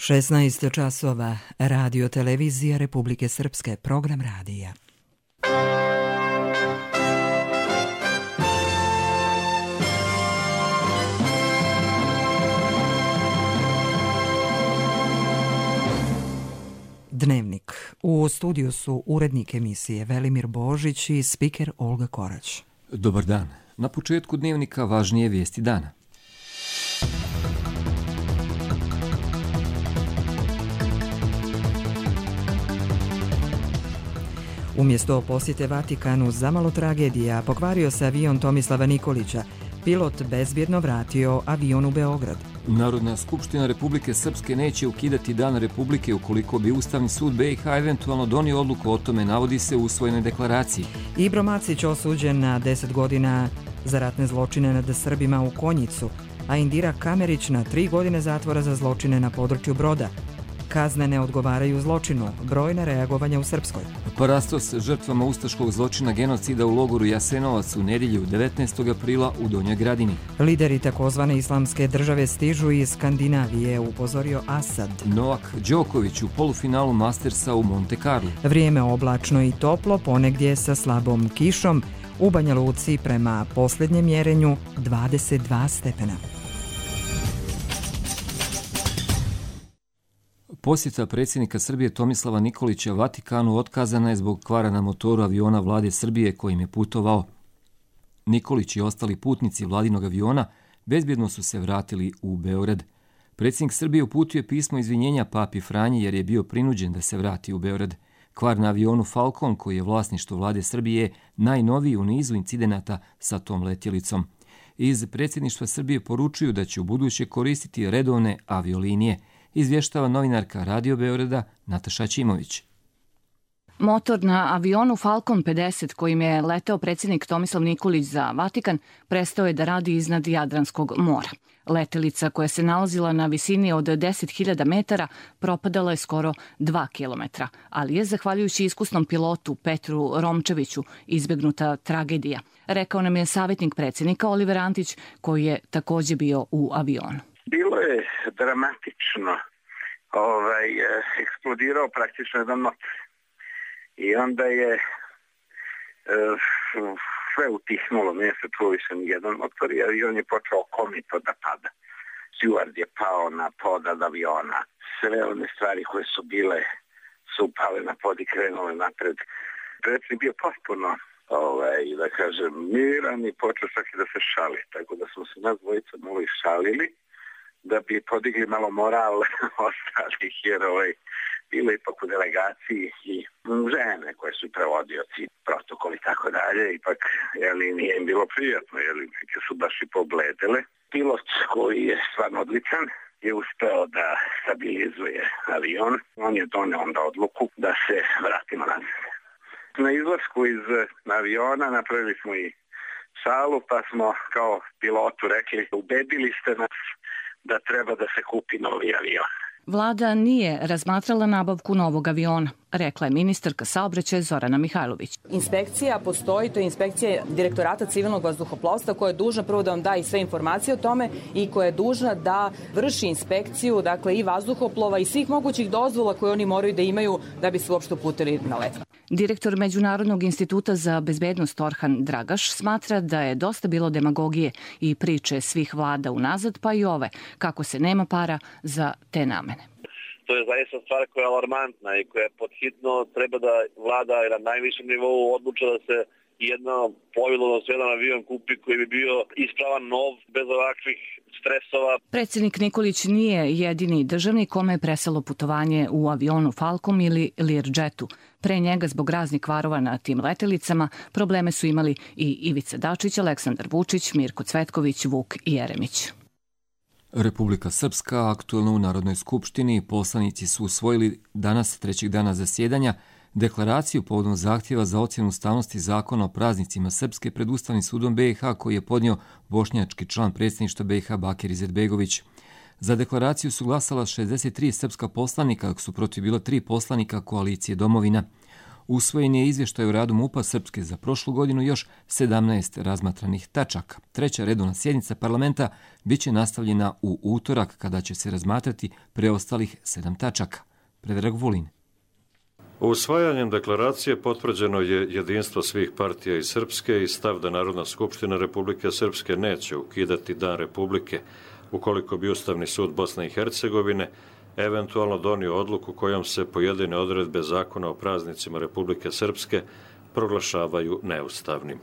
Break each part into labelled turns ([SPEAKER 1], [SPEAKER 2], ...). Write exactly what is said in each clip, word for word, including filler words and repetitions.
[SPEAKER 1] šesnaest časova, Radio Televizija Republike Srpske, program radija. Dnevnik. U studiju su urednik emisije Velimir Božić i spiker Olga Korać.
[SPEAKER 2] Dobar dan. Na početku dnevnika važnije vijesti dana.
[SPEAKER 1] Umjesto posjete Vatikanu, zamalo tragedija, pokvario se avion Tomislava Nikolića. Pilot bezbjedno vratio avion u Beograd.
[SPEAKER 2] Narodna skupština Republike Srpske neće ukidati Dan Republike ukoliko bi Ustavni sud B i H eventualno donio odluku o tome, navodi se u usvojenoj deklaraciji.
[SPEAKER 1] Ibro Macić osuđen na deset godina za ratne zločine nad Srbima u Konjicu, a Indira Kamerić na tri godine zatvora za zločine na području Broda. Kazne ne odgovaraju zločinu, brojna reagovanja u Srpskoj.
[SPEAKER 2] Parastos žrtvama ustaškog zločina genocida u logoru Jasenovac u nedjelju devetnaestog aprila u Donjoj Gradini.
[SPEAKER 1] Lideri takozvane islamske države stižu iz Skandinavije, upozorio Asad.
[SPEAKER 2] Novak Đoković u polufinalu Mastersa u Monte Carlo.
[SPEAKER 1] Vrijeme oblačno i toplo, ponegdje sa slabom kišom. U Banja Luci prema posljednjem mjerenju dvadeset dva stepena.
[SPEAKER 2] Posjeta predsjednika Srbije Tomislava Nikolića Vatikanu otkazana je zbog kvara na motoru aviona vlade Srbije kojim je putovao. Nikolić i ostali putnici vladinog aviona bezbjedno su se vratili u Beograd. Predsjednik Srbije uputio je pismo izvinjenja papi Franji jer je bio prinuđen da se vrati u Beograd. Kvar na avionu Falcon, koji je vlasništvo vlade Srbije, najnoviji u nizu incidenata sa tom letjelicom. Iz predsjedništva Srbije poručuju da će u buduće koristiti redovne aviolinije, izvještava novinarka Radio Beograda Nataša Ćimović.
[SPEAKER 3] Motor na avionu Falcon pedeset kojim je leteo predsjednik Tomislav Nikolić za Vatikan prestao je da radi iznad Jadranskog mora. Letelica koja se nalazila na visini od deset hiljada metara propadala je skoro dva kilometra, ali je, zahvaljujući iskusnom pilotu Petru Romčeviću, izbjegnuta tragedija, rekao nam je savjetnik predsjednika Oliver Antić, koji je također bio u avionu.
[SPEAKER 4] Bilo je dramatično. Ovaj, eksplodirao praktično jedan motor. I onda je e, sve utihnulo, nije se čuo više nijedan motor i on je počeo komito da pada. Steward je pao na pod od aviona. Sve one stvari koje su bile su pale na pod i krenule napred. Predsjednik bio potpuno, ovaj, da kažem, miran i počeo čak i da se šali. Tako da smo se nas dvojica malo i šalili, da bi podigli malo moral ostalih, jer ovaj, bilo ipak u delegaciji i žene koje su prevodioci, protokol i tako dalje, ipak jeli, nije im bilo prijatno, jeli, neke su baš i pobledele. Pilot koji je stvarno odličan je uspeo da stabilizuje avion, on je doneo onda odluku da se vratimo nazad. Na izlasku iz aviona napravili smo i salu, pa smo kao pilotu rekli, ubedili ste nas da treba da se kupi novi avion.
[SPEAKER 3] Vlada nije razmatrala nabavku novog aviona, rekla je ministarka saobraćaja Zorana Mihajlović.
[SPEAKER 5] Inspekcija postoji, to je inspekcija Direktorata civilnog vazduhoplovstva koja je dužna prvo da vam da i sve informacije o tome i koja je dužna da vrši inspekciju, dakle i vazduhoplova i svih mogućih dozvola koje oni moraju da imaju da bi se uopšte uputili na let.
[SPEAKER 3] Direktor Međunarodnog instituta za bezbednost Orhan Dragaš smatra da je dosta bilo demagogije i priče svih vlada unazad, pa i ove, kako se nema para za te namene.
[SPEAKER 6] To je zaista stvar koja je alarmantna i koja je podhitno treba da vlada na najvišem nivou odluča da se jedno plovilo, odnosno jedan avion kupi koji bi bio ispravan, nov, bez ovakvih stresova.
[SPEAKER 3] Predsjednik Nikolić nije jedini državnik kome je preselo putovanje u avionu Falcon ili Learjetu. Pre njega, zbog raznih kvarova na tim letelicama, probleme su imali i Ivica Dačić, Aleksandar Vučić, Mirko Cvetković, Vuk Jeremić.
[SPEAKER 2] Republika Srpska, aktuelno u Narodnoj skupštini, poslanici su usvojili danas, trećeg dana zasjedanja, deklaraciju povodom zahtjeva za ocjenu ustavnosti zakona o praznicima Srpske pred Ustavnim sudom B i H koji je podnio bošnjački član predsjedništva B i H Bakir Izetbegović. Za deklaraciju su glasala šezdeset tri srpska poslanika, dok su protiv bilo tri poslanika koalicije Domovina. Usvojen je izvještaj o radu MUP-a Srpske za prošlu godinu još sedamnaest razmatranih tačaka. Treća redovna sjednica parlamenta bit će nastavljena u utorak kada će se razmatrati preostalih sedam tačaka. Predrag Vulin.
[SPEAKER 7] Usvajanjem deklaracije potvrđeno je jedinstvo svih partija iz Srpske i stav da Narodna skupština Republike Srpske neće ukidati Dan Republike ukoliko bi Ustavni sud Bosne i Hercegovine eventualno donio odluku kojom se pojedine odredbe zakona o praznicima Republike Srpske proglašavaju neustavnim.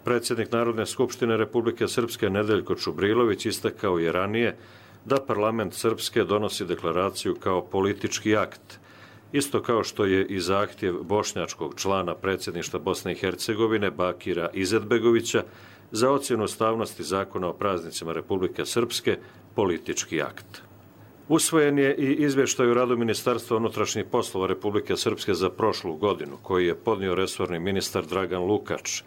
[SPEAKER 7] Predsjednik Narodne skupštine Republike Srpske Nedeljko Čubrilović istakao je ranije da parlament Srpske donosi deklaraciju kao politički akt, isto kao što je i zahtjev bošnjačkog člana predsjedništva Bosne i Hercegovine Bakira Izetbegovića za ocjenu ustavnosti zakona o praznicima Republike Srpske politički akt. Usvojen je i izvještaj o radu Ministarstva unutrašnjih poslova Republike Srpske za prošlu godinu, koji je podnio resorni ministar Dragan Lukač.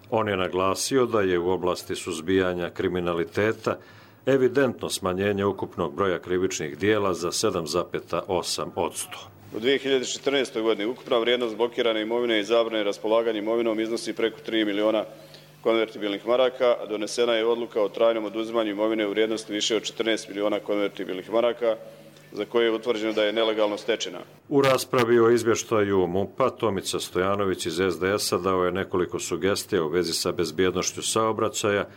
[SPEAKER 7] On je naglasio da je u oblasti suzbijanja kriminaliteta evidentno smanjenje ukupnog broja krivičnih dijela za sedam zarez osam posto.
[SPEAKER 8] U dvije hiljade četrnaestoj. godini ukupna vrijednost blokirane imovine i zabrane raspolaganja imovinom iznosi preko tri miliona konvertibilnih maraka, a donesena je odluka o trajnom oduzimanju imovine u vrijednosti više od četrnaest miliona konvertibilnih maraka, za koje je utvrđeno da je nelegalno stečena.
[SPEAKER 7] U raspravi o izvještaju MUP-a Tomica Stojanović iz es de es-a dao je nekoliko sugestija u vezi sa bezbjednošću saobraćaja,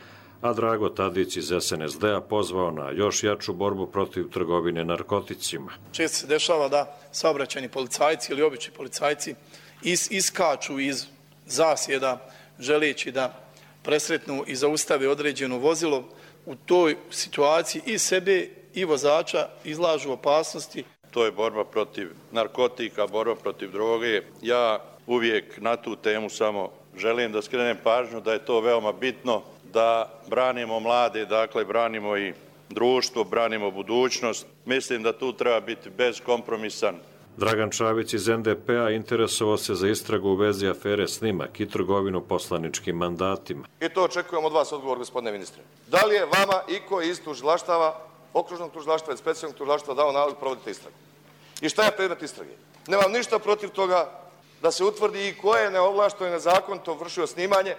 [SPEAKER 7] a Drago Tadić iz es en es de-a pozvao na još jaču borbu protiv trgovine narkoticima.
[SPEAKER 9] Često se dešava da saobraćajni policajci ili obični policajci is, iskaču iz zasjeda želeći da presretnu i zaustave određeno vozilo. U toj situaciji i sebe i vozača izlažu opasnosti.
[SPEAKER 10] To je borba protiv narkotika, borba protiv droge. Ja uvijek na tu temu samo želim da skrenem pažnju da je to veoma bitno, da branimo mlade, dakle branimo i društvo, branimo budućnost. Mislim da tu treba biti bezkompromisan.
[SPEAKER 7] Dragan Čavić iz en de pe-a interesovao se za istragu u vezi afere Snimak i trgovinu poslaničkim mandatima.
[SPEAKER 11] I to očekujemo od vas odgovor, gospodine ministre. Da li je vama iko iz tužilaštava, okružnog tužilaštva i specijalnog tužilaštva dao nalog da provodite istragu? I šta je predmet istrage? Nemam ništa protiv toga da se utvrdi i ko je neovlašteno i nezakonito vršio snimanje,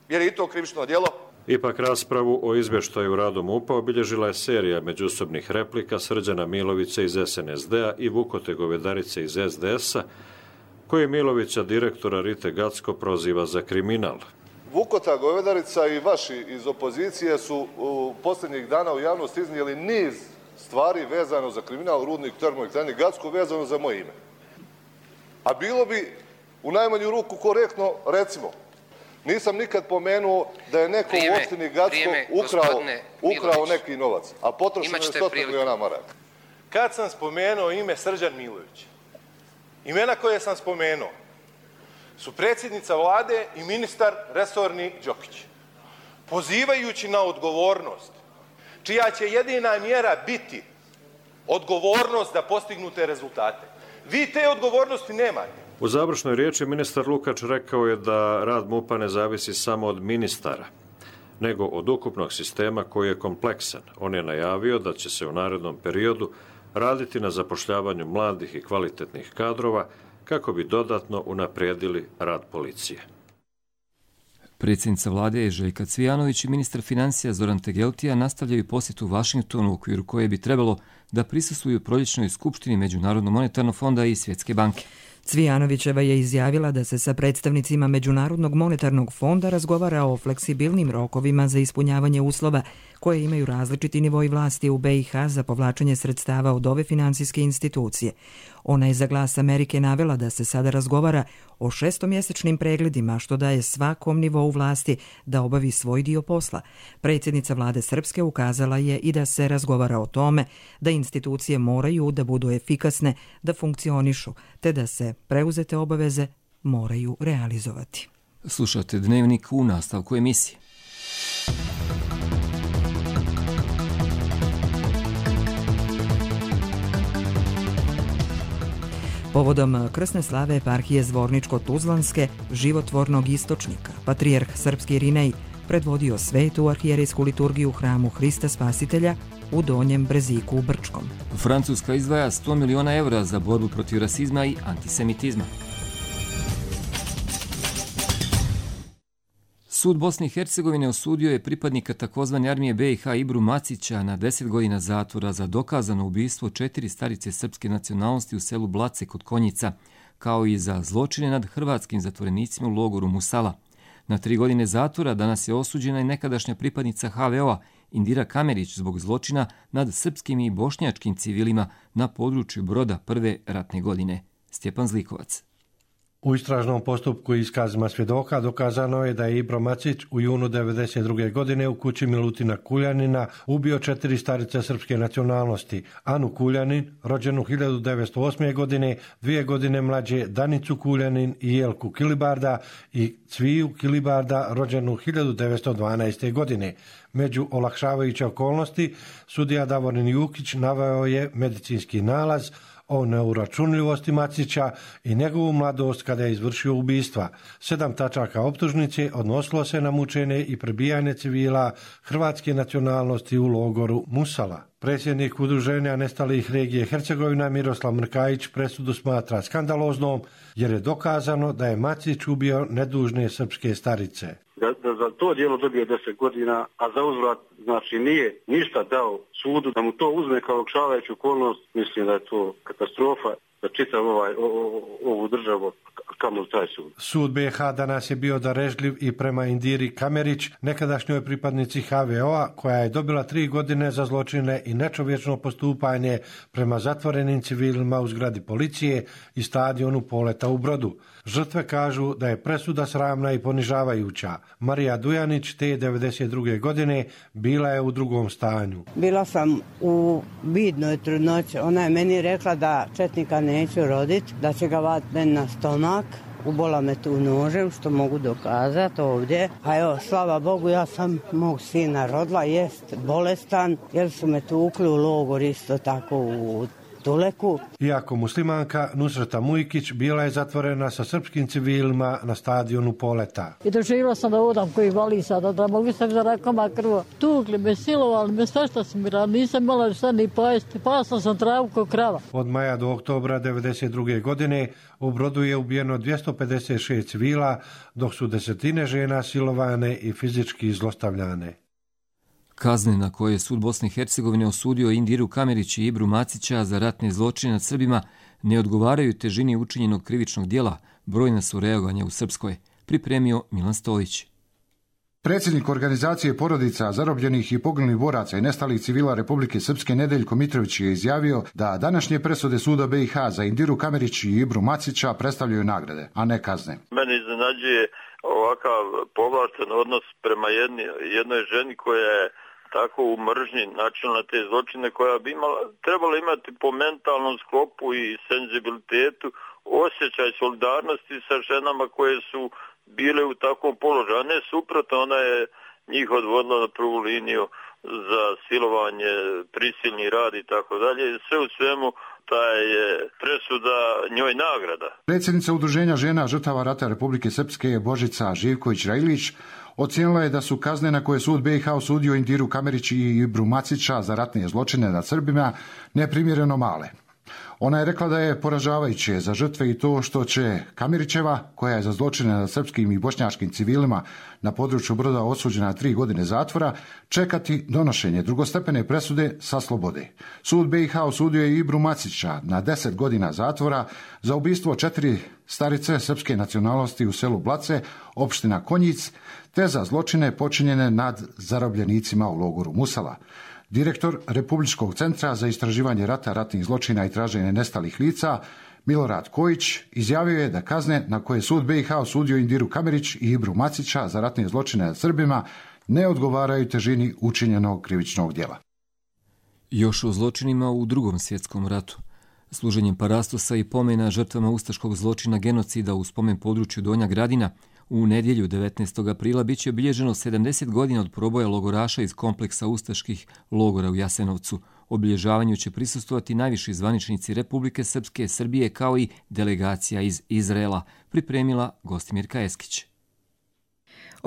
[SPEAKER 11] jer je i to krivično djelo.
[SPEAKER 7] Ipak raspravu o izvještaju radu MUP-a obilježila je serija međusobnih replika Srđana Milovića iz es en es de-a i Vukote Govedarice iz es de es-a, koji Milovića, direktora Rite Gacko, proziva za kriminal.
[SPEAKER 12] Vukota Govedarica i vaši iz opozicije su u posljednjih dana u javnosti iznijeli niz stvari vezano za kriminal Rudnik termoelektrane Gacko vezano za moje ime. A bilo bi u najmanju ruku korektno, recimo, nisam nikad pomenuo da je neko vrijeme, u opštini Gacko ukrao, ukrao neki novac, a potrošeno je sto miliona maraka.
[SPEAKER 13] Kad sam spomenuo ime Srđan Milović, imena koje sam spomenuo su predsjednica vlade i ministar resorni Đokić, pozivajući na odgovornost, čija će jedina mjera biti odgovornost da postignute rezultate. Vi te odgovornosti nemate.
[SPEAKER 7] U završnoj riječi ministar Lukač rekao je da rad MUP-a ne zavisi samo od ministara, nego od ukupnog sistema koji je kompleksan. On je najavio da će se u narednom periodu raditi na zapošljavanju mladih i kvalitetnih kadrova kako bi dodatno unaprijedili rad policije.
[SPEAKER 2] Predsjednica vlade Željka Cvijanović i ministar financija Zoran Tegeltija nastavljaju posjetu u Vašingtonu u okviru koje bi trebalo da prisustvuju proljećnoj skupštini Međunarodnog monetarnog fonda i Svjetske banke.
[SPEAKER 1] Cvijanovićeva je izjavila da se sa predstavnicima Međunarodnog monetarnog fonda razgovara o fleksibilnim rokovima za ispunjavanje uslova koje imaju različiti nivoji vlasti u be i ha za povlačenje sredstava od ove finansijske institucije. Ona je za Glas Amerike navela da se sada razgovara o šestomjesečnim pregledima, što daje svakom nivou vlasti da obavi svoj dio posla. Predsjednica vlade Srpske ukazala je i da se razgovara o tome da institucije moraju da budu efikasne, da funkcionišu, te da se preuzete obaveze moraju realizovati.
[SPEAKER 2] Slušate Dnevnik u nastavku emisije.
[SPEAKER 1] Povodom krsne slave eparhije Zvorničko-Tuzlanske životvornog istočnika, patrijarh srpski Irinej predvodio svetu arhijerejsku liturgiju u hramu Hrista Spasitelja u Donjem Breziku u Brčkom.
[SPEAKER 2] Francuska izdvaja sto miliona evra za borbu protiv rasizma i antisemitizma. Sud Bosne i Hercegovine osudio je pripadnika takozvane armije be i ha Ibru Macića na deset godina zatvora za dokazano ubistvo četiri starice srpske nacionalnosti u selu Blace kod Konjica, kao i za zločine nad hrvatskim zatvorenicima u logoru Musala. Na tri godine zatvora danas je osuđena i nekadašnja pripadnica ha ve o-a Indira Kamerić zbog zločina nad srpskim i bošnjačkim civilima na području Broda prve ratne godine. Stjepan Zlikovac.
[SPEAKER 14] U istražnom postupku i iskazima svjedoka dokazano je da je Ibro Macić u junu devedeset druge godine u kući Milutina Kuljanina ubio četiri starice srpske nacionalnosti: Anu Kuljanin, rođenu hiljadu devetsto osme. godine, dvije godine mlađe Danicu Kuljanin i Jelku Kilibarda i Cviju Kilibarda, rođenu hiljadu devetsto dvanaeste. godine. Među olakšavajuće okolnosti sudija Davorin Jukić naveo je medicinski nalaz o neuračunljivosti Macića i njegovu mladost kada je izvršio ubistva. Sedam tačaka optužnice odnosilo se na mučenje i prebijanje civila hrvatske nacionalnosti u logoru Musala. Predsjednik udruženja nestalih regije Hercegovina Miroslav Mrkajić presudu smatra skandaloznom jer je dokazano da je Macić ubio nedužne srpske starice.
[SPEAKER 15] Da, da za to djelo dobio deset godina, a za uzvrat znači nije ništa dao sudu da mu to uzme kao olakšavajuću okolnost, mislim da je to katastrofa za čitav ovaj, o, o, ovu državu, kamo taj sud.
[SPEAKER 14] Sud be i ha danas je bio darežljiv i prema Indiri Kamerić, nekadašnjoj pripadnici ha ve o-a, koja je dobila tri godine za zločine i nečovječno postupanje prema zatvorenim civilima u zgradi policije i stadionu Poleta u Brodu. Žrtve kažu da je presuda sramna i ponižavajuća. Marija Dujanić te devedeset druge. godine bila je u drugom stanju.
[SPEAKER 16] Bila sam u vidnoj trudnoći. Ona je meni rekla da četnika neću roditi, da će ga vatiti na stomak. Ubola me tu nožem, što mogu dokazati ovdje. A evo, slava Bogu, ja sam mog sina rodila, jest bolestan, jer su me tukli u logor isto tako u Tuleku.
[SPEAKER 14] Iako muslimanka, Nusreta Mujkić bila je zatvorena sa srpskim civilima na stadionu Poleta.
[SPEAKER 17] I doživjela sam da odam koji vali sada, da mogu sam za rakoma krva. Tukli me, silovali me, sve što sam mi radila, nisam imala šta ni pojesti, pasla sam travu kao krava.
[SPEAKER 14] Od maja do oktobra devedeset druge. godine u Brodu je ubijeno dvjesto pedeset šest civila, dok su desetine žena silovane i fizički zlostavljane.
[SPEAKER 2] Kazne na koje je sud Bosne i Hercegovine osudio Indiru Kamerić i Ibru Macića za ratne zločine nad Srbima ne odgovaraju težini učinjenog krivičnog djela, brojna su reagovanja u Srpskoj, pripremio Milan Stolić.
[SPEAKER 18] Predsjednik organizacije porodica zarobljenih i poginulih boraca i nestalih civila Republike Srpske Nedeljko Mitrović je izjavio da današnje presude suda be i ha za Indiru Kamerić i Ibru Macića predstavljaju nagrade, a ne kazne.
[SPEAKER 19] Mene iznenađuje ovakav povlašten odnos prema jedni, jednoj ženi koja je tako u mržnji načela na te zločine, koja bi imala, trebala imati po mentalnom sklopu i senzibilitetu osjećaj solidarnosti sa ženama koje su bile u takvom položaju, a ne suprotno, ona je njih odvodila na prvu liniju za silovanje, prisilni rad i tako dalje. Sve u svemu ta je presuda njoj nagrada.
[SPEAKER 18] Predsjednica Udruženja žena žrtava rata Republike Srpske Božica Živković-Rajlić ocijenila je da su kazne na koje sud be i ha osudio Indiru Kamerić i Ibru Macića za ratne zločine nad Srbima neprimjereno male. Ona je rekla da je poražavajuće za žrtve i to što će Kamerićeva, koja je za zločine nad srpskim i bošnjačkim civilima na području Broda osuđena na tri godine zatvora, čekati donošenje drugostepene presude sa slobode. Sud be i ha osudio je Ibru Macića na deset godina zatvora za ubistvo četiri starice srpske nacionalnosti u selu Blace, opština Konjic, te za zločine počinjene nad zarobljenicima u logoru Musala. Direktor Republičkog centra za istraživanje rata, ratnih zločina i traženje nestalih lica, Milorad Kojić, izjavio je da kazne na koje sud be i ha osudio Indiru Kamerić i Ibru Macića za ratne zločine nad Srbima ne odgovaraju težini učinjenog krivičnog djela.
[SPEAKER 2] Još o zločinima u Drugom svjetskom ratu. Služenjem parastosa i pomena žrtvama ustaškog zločina genocida u spomen području Donja Gradina u nedjelju devetnaestog aprila bit će obilježeno sedamdeset godina od proboja logoraša iz kompleksa ustaških logora u Jasenovcu. Obilježavanju će prisustvovati najviši zvaničnici Republike Srpske, Srbije kao i delegacija iz Izraela, pripremila Gostimirka Eskić.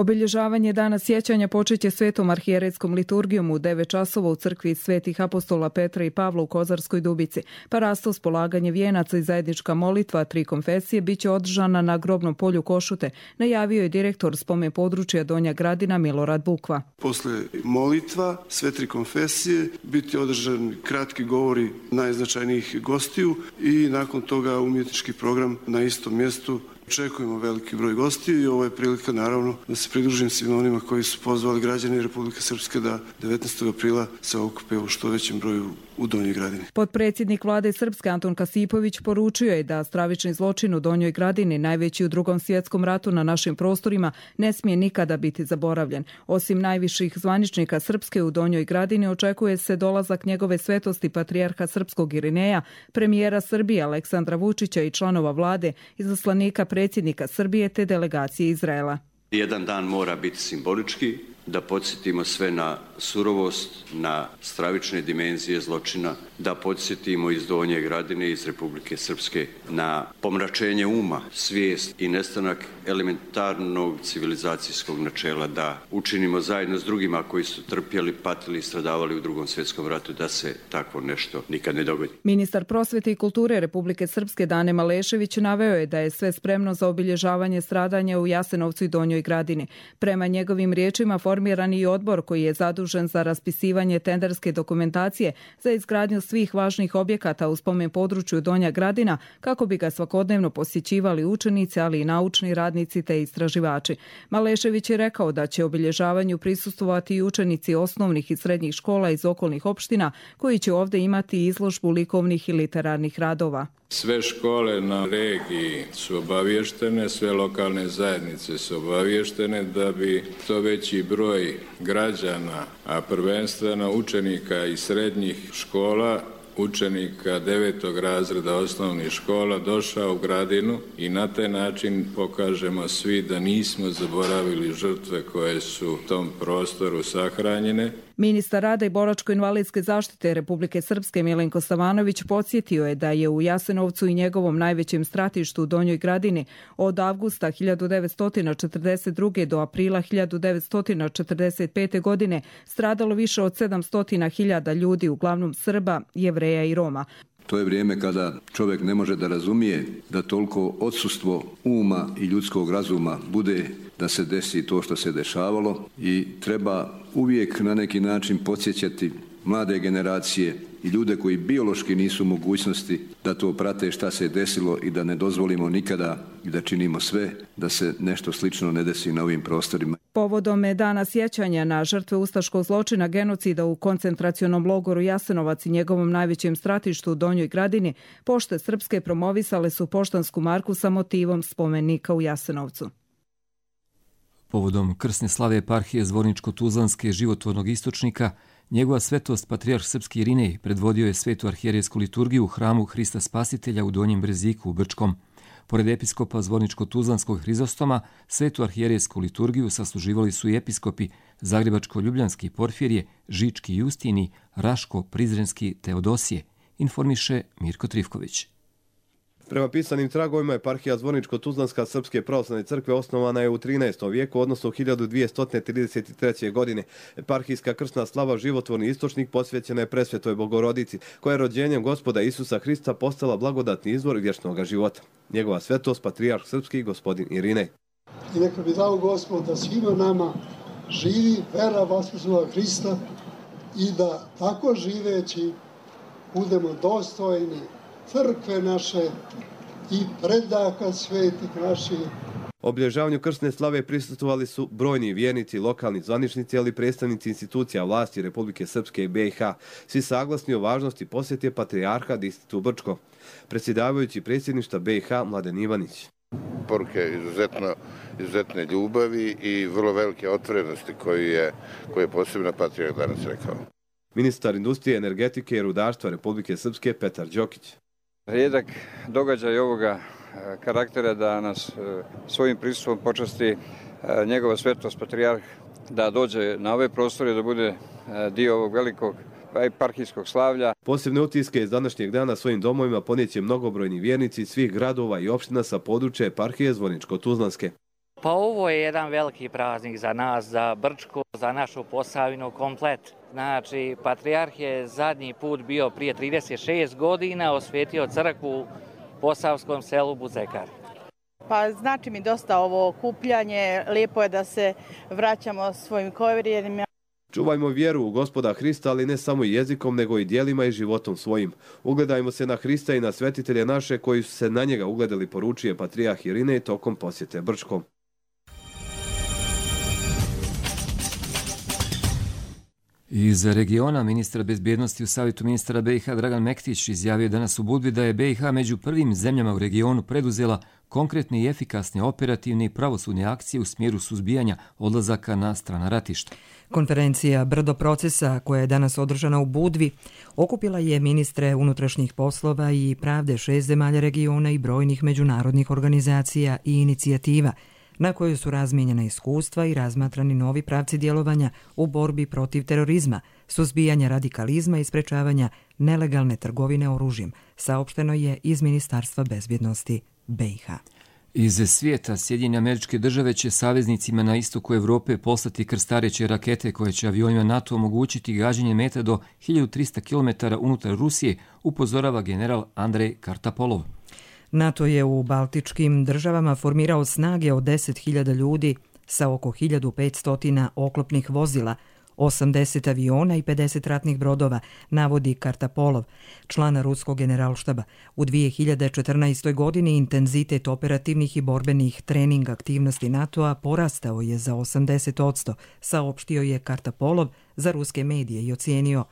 [SPEAKER 20] Obilježavanje dana sjećanja počeće svetom arhijerejskom liturgijom u devet časova u crkvi svetih apostola Petra i Pavla u Kozarskoj Dubici. Parastos, polaganje vijenaca i zajednička molitva tri konfesije biće održana na grobnom polju Košute, najavio je direktor spomen područja Donja Gradina Milorad Bukva.
[SPEAKER 21] Posle molitva sve tri konfesije biti održan kratki govori najznačajnijih gostiju i nakon toga umjetnički program na istom mjestu. Očekujemo veliki broj gostiju i ovo je prilika naravno da se pridružim svima onima koji su pozvali građani Republike Srpske da devetnaestog aprila se okupe u što većem broju u Donjoj Gradini.
[SPEAKER 20] Potpredsjednik vlade Srpske Antun Kasipović poručio je da stravični zločin u Donjoj Gradini, najveći u Drugom svjetskom ratu na našim prostorima, ne smije nikada biti zaboravljen. Osim najviših zvaničnika Srpske u Donjoj Gradini očekuje se dolazak njegove svetosti patrijarha srpskog Irineja, premijera Srbije Aleksandra Vučića i članova vlade, izaslanika predsjednika Srbije te delegacije Izraela.
[SPEAKER 22] Jedan dan mora biti simbolički, da podsjetimo sve na surovost, na stravične dimenzije zločina, da podsjetimo iz Donje Gradine, iz Republike Srpske na pomračenje uma, svijest i nestanak elementarnog civilizacijskog načela, da učinimo zajedno s drugima koji su trpjeli, patili i stradavali u Drugom svjetskom ratu, da se takvo nešto nikad ne dogodi.
[SPEAKER 20] Ministar prosvete i kulture Republike Srpske Dane Malešević naveo je da je sve spremno za obilježavanje stradanja u Jasenovcu i Donjoj Gradini. Prema njegovim riječima formiran i odbor koji je zadužen za raspisivanje tenderske dokumentacije za izgradnju svih važnih objekata u spomen području Donja Gradina kako bi ga svakodnevno posjećivali učenici, ali i naučni radnici te istraživači. Malešević je rekao da će obilježavanju prisustvovati i učenici osnovnih i srednjih škola iz okolnih opština koji će ovdje imati izložbu likovnih i literarnih radova.
[SPEAKER 23] Sve škole na regiji su obavještene, sve lokalne zajednice su obavještene da bi to veći broj građana, a prvenstveno učenika iz srednjih škola, učenika devetog razreda osnovnih škola došao u Gradinu i na taj način pokažemo svi da nismo zaboravili žrtve koje su u tom prostoru sahranjene.
[SPEAKER 20] Ministar rada i boračko-invalidske zaštite Republike Srpske Milenko Savanović podsjetio je da je u Jasenovcu i njegovom najvećem stratištu u Donjoj Gradini od avgusta hiljadu devetsto četrdeset druge do aprila hiljadu devetsto četrdeset pete godine stradalo više od sedamsto hiljada ljudi, uglavnom Srba, Jevreja i Roma.
[SPEAKER 24] To je vrijeme kada čovjek ne može da razumije da toliko odsustvo uma i ljudskog razuma bude da se desi to što se dešavalo i treba uvijek na neki način podsjećati mlade generacije i ljude koji biološki nisu u mogućnosti da to prate šta se desilo i da ne dozvolimo nikada i da činimo sve da se nešto slično ne desi na ovim prostorima.
[SPEAKER 20] Povodom dana sjećanja na žrtve ustaškog zločina genocida u koncentracionom logoru Jasenovac i njegovom najvećem stratištu u Donjoj Gradini, Pošte Srpske promovisale su poštansku marku sa motivom spomenika u Jasenovcu.
[SPEAKER 2] Povodom krsne slave eparhije Zvorničko-Tuzlanske životvornog istočnika, njegova svetost patrijarh srpski Irinej predvodio je svetu arhijerejsku liturgiju u hramu Hrista Spasitelja u Donjem Breziku u Brčkom. Pored episkopa Zvorničko-Tuzlanskog Hrizostoma, svetu arhijerejsku liturgiju sasluživali su i episkopi Zagrebačko-Ljubljanski Porfirije, Žički Justini, Raško-Prizrenski Teodosije, informiše Mirko Trivković.
[SPEAKER 25] Prema pisanim tragovima, eparhija Zvorničko-Tuzlanska Srpske pravoslavne crkve osnovana je u trinaestom vijeku, odnosno hiljadu dvjesto trideset treće. godine. Eparhijska krsna slava životvorni istočnik posvećena je presvetoj Bogorodici, koja je rođenjem Gospoda Isusa Hrista postala blagodatni izvor vječnog života. Njegova svetost, patrijarh srpski, gospodin Irinej.
[SPEAKER 26] I neka bi dao Gospod da svima nama živi vera Vaskrsloga Hrista i da tako živeći budemo dostojni crkve naše i predaka svetih naših.
[SPEAKER 25] Obilježavanju krsne slave prisustvovali su brojni vjernici, lokalni zvaničnici, ali i predstavnici institucija vlasti Republike Srpske i B i H. Svi saglasni o važnosti posjete patrijarha distritu Brčko. Predsjedavajući predsjedništva B i H Mladen Ivanić.
[SPEAKER 27] Poruke izuzetno, izuzetne ljubavi i vrlo velike otvorenosti koju je, koju je posebno patrijarh danas rekao.
[SPEAKER 25] Ministar industrije, energetike i rudarstva Republike Srpske Petar Đokić.
[SPEAKER 28] Rijedak događaj ovoga karaktera da nas svojim prisustvom počasti njegova svetost patrijarh da dođe na ove prostore, da bude dio ovog velikog eparhijskog slavlja.
[SPEAKER 25] Posebne utiske iz današnjeg dana svojim domovima ponijeće mnogobrojni vjernici svih gradova i opština sa područja eparhije Zvorničko-Tuzlanske.
[SPEAKER 3] Pa ovo je jedan veliki praznik za nas, za Brčko, za našu Posavinu komplet. Znači, patrijarh je zadnji put bio prije trideset šest godina, osvetio crkvu u posavskom selu Buzekar.
[SPEAKER 4] Pa znači mi dosta ovo okupljanje, lijepo je da se vraćamo svojim korijenima.
[SPEAKER 25] Čuvajmo vjeru u Gospoda Hrista, ali ne samo jezikom, nego i djelima i životom svojim. Ugledajmo se na Hrista i na svetitelje naše koji su se na njega ugledali, poručuje patrijarh Irinej tokom posjete Brčkom.
[SPEAKER 2] Iz regiona ministar bezbjednosti u Savjetu ministara B i H Dragan Mektić izjavio danas u Budvi da je B i H među prvim zemljama u regionu preduzela konkretne i efikasne operativne i pravosudne akcije u smjeru suzbijanja odlazaka na strana ratišta.
[SPEAKER 1] Konferencija Brdo procesa, koja je danas održana u Budvi, okupila je ministre unutrašnjih poslova i pravde šest zemalja regiona i brojnih međunarodnih organizacija i inicijativa, na kojoj su razmijenjena iskustva i razmatrani novi pravci djelovanja u borbi protiv terorizma, suzbijanja radikalizma i sprečavanja nelegalne trgovine oružjem, saopšteno je iz Ministarstva bezbjednosti B i H.
[SPEAKER 2] Iz svijeta Sjedinjene Američke Države će saveznicima na istoku Evrope poslati krstareće rakete koje će avionima NATO omogućiti gađanje meta do hiljadu trista kilometara unutar Rusije, upozorava general Andrej Kartapolov.
[SPEAKER 1] NATO je u baltičkim državama formirao snage od deset hiljada ljudi sa oko hiljadu petsto oklopnih vozila, osamdeset aviona i pedeset ratnih brodova, navodi Kartapolov, član ruskog generalštaba. U dvije hiljade četrnaestoj. godini intenzitet operativnih i borbenih trening aktivnosti NATO-a porastao je za osamdeset posto, saopštio je Kartapolov za ruske medije i ocijenio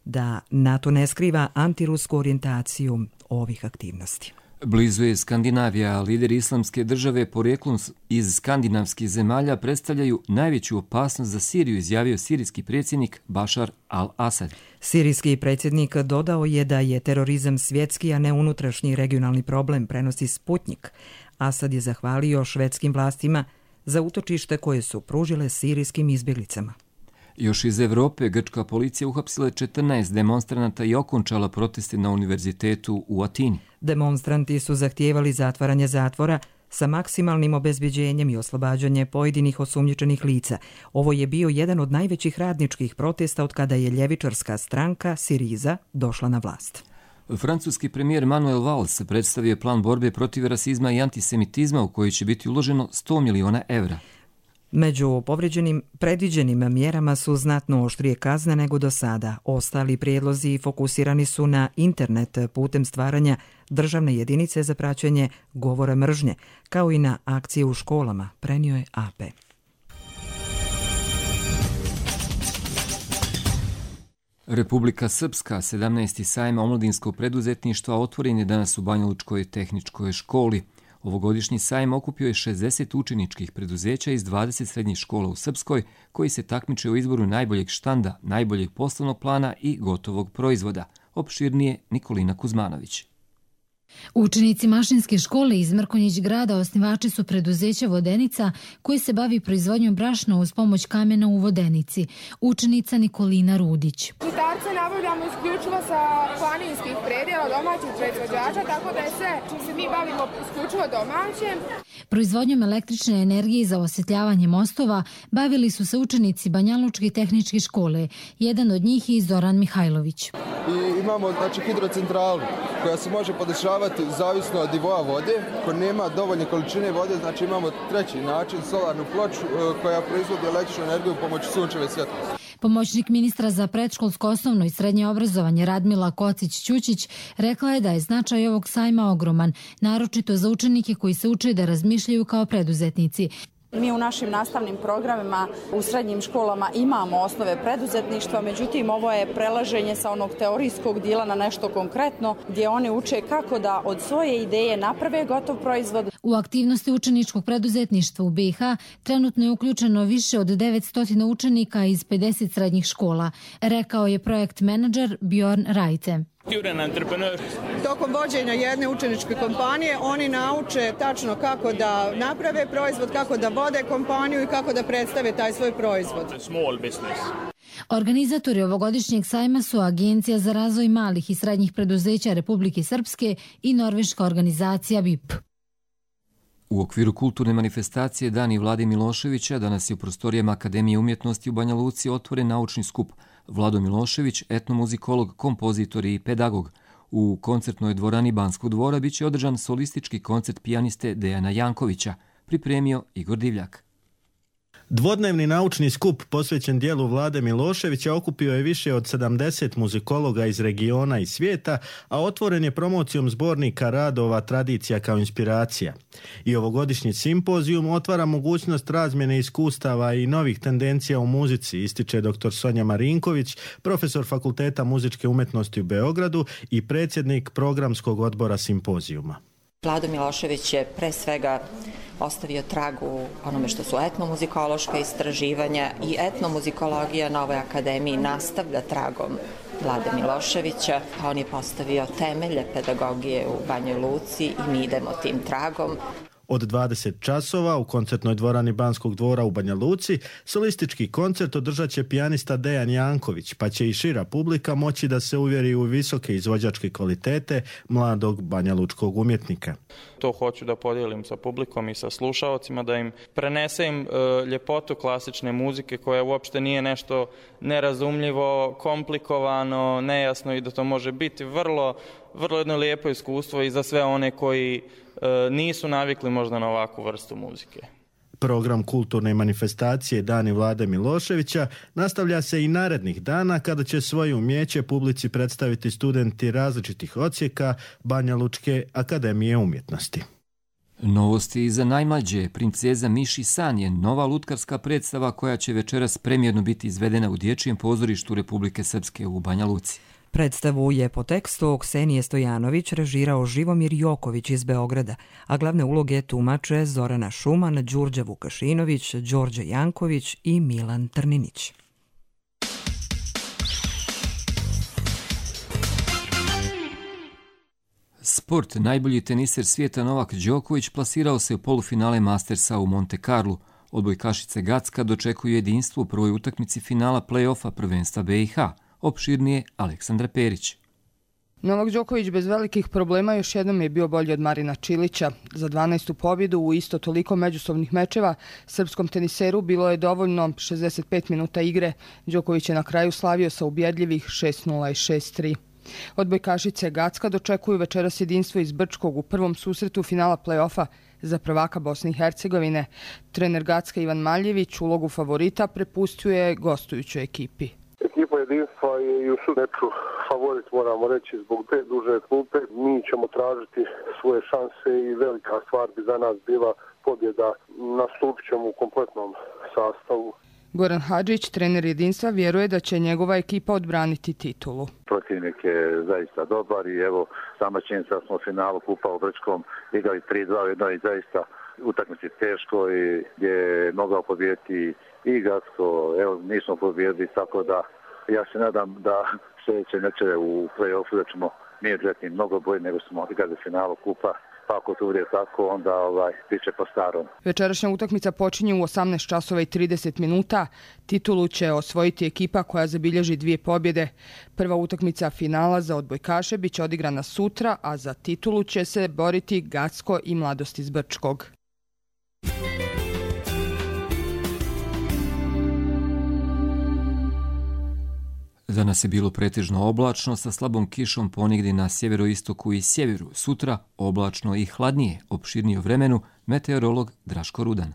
[SPEAKER 1] da NATO ne skriva antirusku orijentaciju ovih aktivnosti.
[SPEAKER 2] Blizu je Skandinavija, a lideri islamske države porijeklom iz skandinavskih zemalja predstavljaju najveću opasnost za Siriju, izjavio sirijski predsjednik Bašar al-Asad.
[SPEAKER 1] Sirijski predsjednik dodao je da je terorizam svjetski, a ne unutrašnji regionalni problem, prenosi Sputnik. Asad je zahvalio švedskim vlastima za utočište koje su pružile sirijskim izbjeglicama.
[SPEAKER 2] Još iz Evrope, grčka policija uhapsila četrnaest demonstranata i okončala proteste na univerzitetu u Atini.
[SPEAKER 1] Demonstranti su zahtijevali zatvaranje zatvora sa maksimalnim obezbeđenjem i oslobađanje pojedinih osumnjičenih lica. Ovo je bio jedan od najvećih radničkih protesta od kada je ljevičarska stranka Siriza došla na vlast.
[SPEAKER 2] Francuski premijer Manuel Valls predstavio plan borbe protiv rasizma i antisemitizma u koji će biti uloženo sto miliona evra.
[SPEAKER 1] Među povređenim predviđenim mjerama su znatno oštrije kazne nego do sada. Ostali prijedlozi fokusirani su na internet putem stvaranja državne jedinice za praćenje govora mržnje, kao i na akcije u školama, prenio je A P.
[SPEAKER 2] Republika Srpska, sedamnaesti sajam omladinskog preduzetništva, otvoren je danas u Banjalučkoj tehničkoj školi. Ovogodišnji sajam okupio je šezdeset učeničkih preduzeća iz dvadeset srednjih škola u Srpskoj, koji se takmiče u izboru najboljeg štanda, najboljeg poslovnog plana i gotovog proizvoda. Opširnije Nikolina Kuzmanović.
[SPEAKER 5] Učenici mašinske škole iz Mrkonjić grada osnivači su preduzeća Vodenica koji se bavi proizvodnjom brašna uz pomoć kamena u Vodenici. Učenica Nikolina Rudić.
[SPEAKER 6] Žitarce nabavljamo isključivo sa planinskih predjela domaćih proizvođača, tako da je sve čim se mi bavimo isključivo domaćem.
[SPEAKER 5] Proizvodnjom električne energije za osvjetljavanje mostova bavili su se učenici Banjalučke tehničke škole. Jedan od njih je Zoran Mihajlović.
[SPEAKER 8] I imamo znači hidrocentralu koja se može podešavati zavisno od nivoa vode. Ako nema dovoljne količine vode, znači imamo treći način, solarnu ploču koja proizvodi električnu energiju pomoću sunčeve svjetlosti.
[SPEAKER 5] Pomoćnik ministra za predškolsko osnovno i srednje obrazovanje Radmila Kocić-Ćučić rekla je da je značaj ovog sajma ogroman, naročito za učenike koji se uče da razmišljaju kao preduzetnici.
[SPEAKER 9] Mi u našim nastavnim programima u srednjim školama imamo osnove preduzetništva, međutim ovo je prelaženje sa onog teorijskog dijela na nešto konkretno gdje oni uče kako da od svoje ideje naprave gotov proizvod.
[SPEAKER 5] U aktivnosti učeničkog preduzetništva u B i H trenutno je uključeno više od devetsto učenika iz pedeset srednjih škola, rekao je projekt menadžer Bjorn Rajte.
[SPEAKER 10] Tokom vođenja jedne učeničke kompanije oni nauče tačno kako da naprave proizvod, kako da vode kompaniju i kako da predstave taj svoj proizvod.
[SPEAKER 5] Organizatori ovogodišnjeg sajma su Agencija za razvoj malih i srednjih preduzeća Republike Srpske i norveška organizacija V I P.
[SPEAKER 2] U okviru kulturne manifestacije Dani Vlade Miloševića danas je u prostorijama Akademije umjetnosti u Banja Luci otvoren naučni skup Vlado Milošević, etnomuzikolog, kompozitor i pedagog. U koncertnoj dvorani Banskog dvora biće održan solistički koncert pijaniste Dejana Jankovića, pripremio Igor Divljak.
[SPEAKER 7] Dvodnevni naučni skup posvećen dijelu Vlade Miloševića okupio je više od sedamdeset muzikologa iz regiona i svijeta, a otvoren je promocijom zbornika radova Tradicija kao inspiracija. I ovogodišnji simpozijum otvara mogućnost razmjene iskustava i novih tendencija u muzici, ističe dr. Sonja Marinković, profesor Fakulteta muzičke umjetnosti u Beogradu i predsjednik programskog odbora simpozijuma.
[SPEAKER 11] Vlado Milošević je pre svega ostavio trag u onome što su etnomuzikološka istraživanja i etnomuzikologija na ovoj akademiji nastavlja tragom Vlade Miloševića. On je postavio temelje pedagogije u Banjoj Luci i mi idemo tim tragom.
[SPEAKER 7] Od dvadeset časova u koncertnoj dvorani Banskog dvora u Banja Luci solistički koncert održat će pijanista Dejan Janković, pa će i šira publika moći da se uvjeri u visoke izvođačke kvalitete mladog banjalučkog umjetnika.
[SPEAKER 12] To hoću da podijelim sa publikom i sa slušaocima, da im prenesem e, ljepotu klasične muzike koja uopšte nije nešto nerazumljivo, komplikovano, nejasno i da to može biti vrlo, vrlo jedno lijepo iskustvo i za sve one koji nisu navikli možda na ovakvu vrstu muzike.
[SPEAKER 7] Program kulturne manifestacije Dani Vlade Miloševića nastavlja se i narednih dana kada će svoje umijeće publici predstaviti studenti različitih odsjeka Banjalučke akademije umjetnosti.
[SPEAKER 2] Novosti i za najmlađe. Princeza Miši san je nova lutkarska predstava koja će večeras premijerno biti izvedena u Dječjem pozorištu Republike Srpske u Banja Luci.
[SPEAKER 1] Predstavu je po tekstu Ksenije Stojanović režirao Živomir Joković iz Beograda, a glavne uloge tumače Zorana Šuman, Đurđa Vukašinović, Đorđe Janković i Milan Trninić.
[SPEAKER 2] Sport. Najbolji teniser svijeta Novak Đoković plasirao se u polufinale Mastersa u Monte Carlu. Odbojkašice Gacka dočekuju jedinstvo u prvoj utakmici finala play-offa prvenstva B i H. Opširnije Aleksandra Perić.
[SPEAKER 13] Novak Đoković bez velikih problema još jednom je bio bolji od Marina Čilića. Za dvanaestu pobjedu u isto toliko međusobnih mečeva srpskom teniseru bilo je dovoljno šezdeset pet minuta igre. Đoković je na kraju slavio sa ubjedljivih šest nula i šest tri. Odbojkašice Gacka dočekuju večeras jedinstvo iz Brčkog u prvom susretu finala play-offa za prvaka Bosne i Hercegovine. Trener Gacka Ivan Maljević ulogu favorita prepustio je gostujućoj ekipi.
[SPEAKER 14] Ekipa jedinstva je i u meču favorit, moramo reći, zbog te duže klupe. Mi ćemo tražiti svoje šanse i velika stvar bi za nas bila pobjeda. Nastupit ćemo u kompletnom sastavu.
[SPEAKER 13] Goran Hadžić, trener jedinstva, vjeruje da će njegova ekipa odbraniti titulu.
[SPEAKER 15] Protivnik je zaista dobar i evo sama činjenica smo u finalu kupa u Brčkom igrali tri dva u jednoj i zaista utakmici teško i gdje je mogao pobijediti i Gacko, evo nismo pobijedili, tako da ja se nadam da sljedeće meče u play-offu da ćemo mi odretni mnogo bolje nego smo igrali u finalu kupa. Pa ako to bude tako, onda ovaj, bit će po starom.
[SPEAKER 13] Večerašnja utakmica počinje u osamnaest časova i trideset minuta. Titulu će osvojiti ekipa koja zabilježi dvije pobjede. Prva utakmica finala za odbojkaše biće odigrana sutra, a za titulu će se boriti Gacko i Mladost iz Brčkog.
[SPEAKER 2] Danas je bilo pretežno oblačno sa slabom kišom ponegdje na sjeveroistoku i sjeveru. Sutra oblačno i hladnije. Opširnije o vremenu meteorolog Draško Rudan.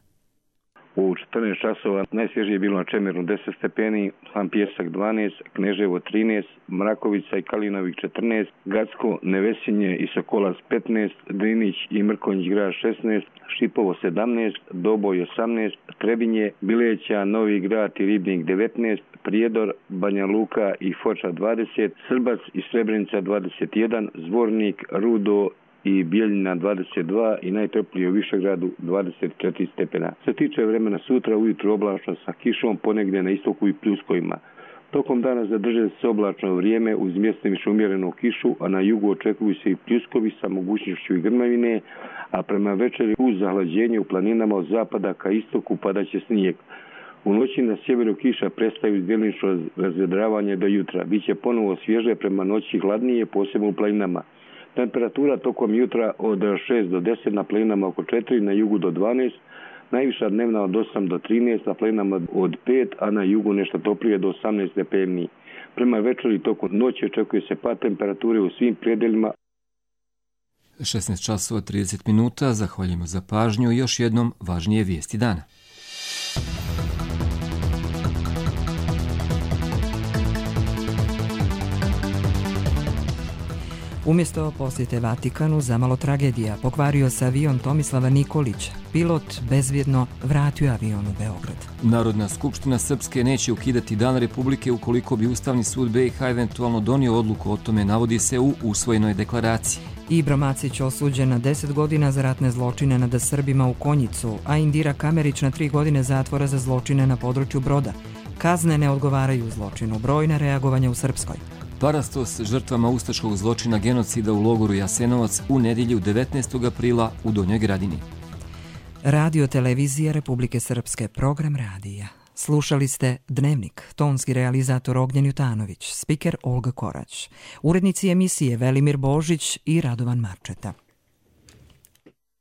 [SPEAKER 16] U četrnaest časova najsvježije je bilo na Čemernu deset stepeni, Sam Pjesak dvanaest, Kneževo trinaest, Mrakovica i Kalinovik četrnaest, Gacko, Nevesinje i Sokolac petnaest, Drinić i Mrkonjić grad šesnaest, Šipovo sedamnaest, Doboj osamnaest, Trebinje, Bileća, Novi grad i Ribnik devetnaest, Prijedor, Banja Luka i Foča dvadeset, Srbac i Srebrenica dvadeset jedan, Zvornik, Rudo i Bijeljina dvadeset dva i najtoplije u Višegradu dvadeset četiri stepena. Se tiče vremena sutra ujutro oblačno sa kišom, ponegdje na istoku i pljuskovima. Tokom dana zadrže se oblačno vrijeme uz mjestimično umjerenu kišu, a na jugu očekuju se i pljuskovi sa mogućnošću i grmavine, a prema večeri uz zahlađenje u planinama od zapada ka istoku padaće snijeg. U noći na sjeveru kiša prestaju djelomično razvedravanje do jutra. Biće ponovo svježe, prema noći hladnije, posebno u planinama. Temperatura tokom jutra od šest do deset, na planinama oko četiri, na jugu do dvanaest, najviša dnevna od osam do trinaest, na planinama od pet, a na jugu nešto toplije do osamnaest stepeni. Prema večeri tokom noći očekuje se pad temperature u svim predelima.
[SPEAKER 2] šesnaest časova trideset minuta, zahvaljujemo za pažnju i još jednom važnije vijesti dana.
[SPEAKER 1] Umjesto posjete Vatikanu, zamalo tragedija, pokvario se avion Tomislava Nikolića. Pilot bezvjedno vratio avion u Beograd.
[SPEAKER 2] Narodna skupština Srpske neće ukidati Dan Republike ukoliko bi Ustavni sud B i H eventualno donio odluku o tome, navodi se u usvojenoj deklaraciji.
[SPEAKER 1] Ibro Macić osuđen na deset godina za ratne zločine nad Srbima u Konjicu, a Indira Kamerić na tri godine zatvora za zločine na području Broda. Kazne ne odgovaraju zločinu, brojna reagovanja u Srpskoj.
[SPEAKER 2] Parastos žrtvama ustaškog zločina genocida u logoru Jasenovac u nedjelju devetnaestog aprila u Donjoj Gradini.
[SPEAKER 1] Radio televizija Republike Srpske, program radija. Slušali ste Dnevnik, tonski realizator Ognjen Jutanović, spiker Olga Korać, urednici emisije Velimir Božić i Radovan Marčeta.